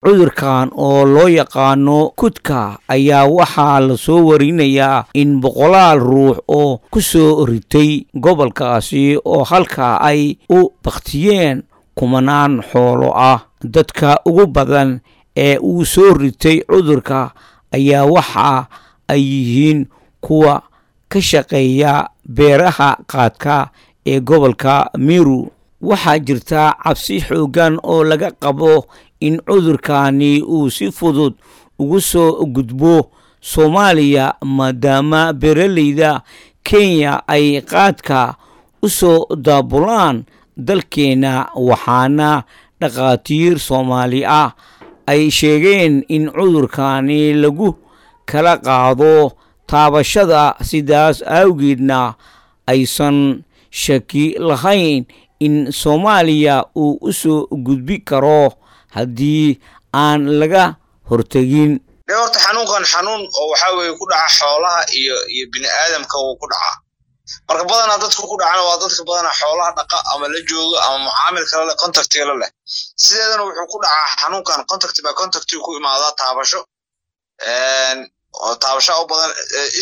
Cudurkan oo loo yaqaano kudka ayaa waxaa lasoo warinayaa in boqolaal ruux oo ku soo ritay gobolkaasi oo halka ay u bakhtiyeen kumanaan xoolo ah. Dadka ugu badan ee uu soo ritay cudurka ayaa waxa ay yihiin kuwa ka shaqeeya beeraha qaadka ee gobolka Meru. Waxaa jirta cabsi xooggan oo laga qabo in cudurkani uu si fudud ugu soo gudbo Soomaaliya, maadaama beeraleyda Kenya ay qaadka u soo daabulaan dalkeena, waxaana dhakhaatiir Soomaali ah ay sheegeen in cudurkani lagu kala qaado taabashada, sidaas awgeedna aysan shaki lahayn in Soomaaliya uu u soo gudbi karo haddii aan laga hortagin. De horta xanuunkan xanuun oo waxaa weeye ku dhaca xoolaha iyo bini aadamka wuu ku dhacaa. Marka badanaa dadka ku dhacana waa dadka badanaa xoolaha dhaqa ama la jooga ama mucaamil kale leh, contactiga la leh. Sideedana wuxuu ku dhacaa xanuunkan contact by contact ku imaadaa, taabasho oo taabasho u badan.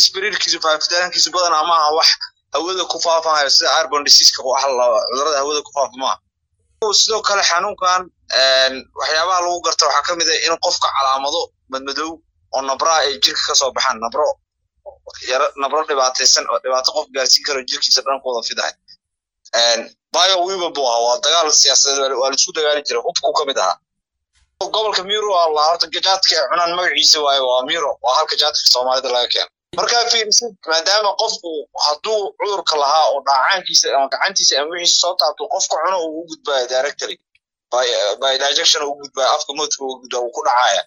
Spreadkiisu, faafitaankiisu badanaa maaha wax hawada ku faafahayo sida airborne diseaseka, wax cudurada hawada ku faafa maaha. Sidoo kale xanuunkan waxyaabaha lagu garta waxaa ka mid ah in qofka calaamado madmadow oo nabraa ay jirka ka soo baxaan, nabro yaro, nabro dhibaataysan oo dhibaato qof gaarsiin karo, jirkiisa dhan ku wada fidahay. Bio weapon buu ahaa, waa dagaal siyaasadeed, waa laisku dagaali jiray, hubku ka mid ahaa. Gobolka Miro waa la horta jaadka ay cunaan magaciisa waaye, waa Miro, waa halka jaadka Soomaalida laga keeno. Markaa fiirisid, maadaama qofku hadduu cudurka lahaa oo dhaacaankiisa ama gacantiisa ama wixiisa soo taabto qofka cuno, uu u gudbaayo directly by digestion, uu gudbaayo afka, moodka uu gudbaa, uu ku dhacaya.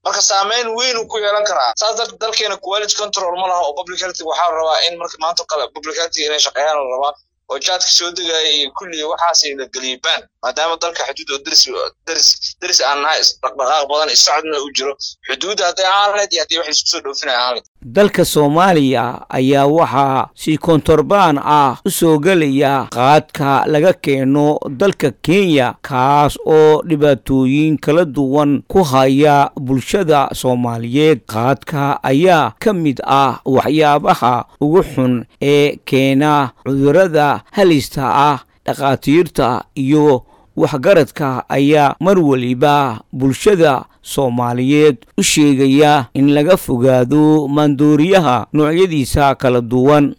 Marka saameyn weyn uu ku yeelan karaa. Saas darteed dalkeena quality control ma laha oo public health waxaa la rabaa in marka maanta kale public health inay shaqeeyaan la rabaa oo jaadka soo degaya iyo kulli waxaas la geliyay ban, maadaama dalka xuduud oo deris aan nahay, dhaqdhaqaaq badan socodna uu jiro, xuduudda hadday ahaan lahayd iyo haddii wax isku soo dhoofinaya ahaan lahayd. Dalka Soomaaliya ayaa waxaa si kontorbaan ah u soo gelaya qaadka laga keeno dalka Kenya, kaas oo dhibaatooyin kala duwan ku haya bulshada Soomaaliyeed. Qaadka ayaa ka mid ah waxyaabaha ugu xun ee keena cudurrada halista ah. Dhakhaatiirta iyo waxgaradka ayaa mar waliba bulshada Soomaaliyeed u sheegaya in laga fogaado maandooriyaha noocyadiisa kala duwan.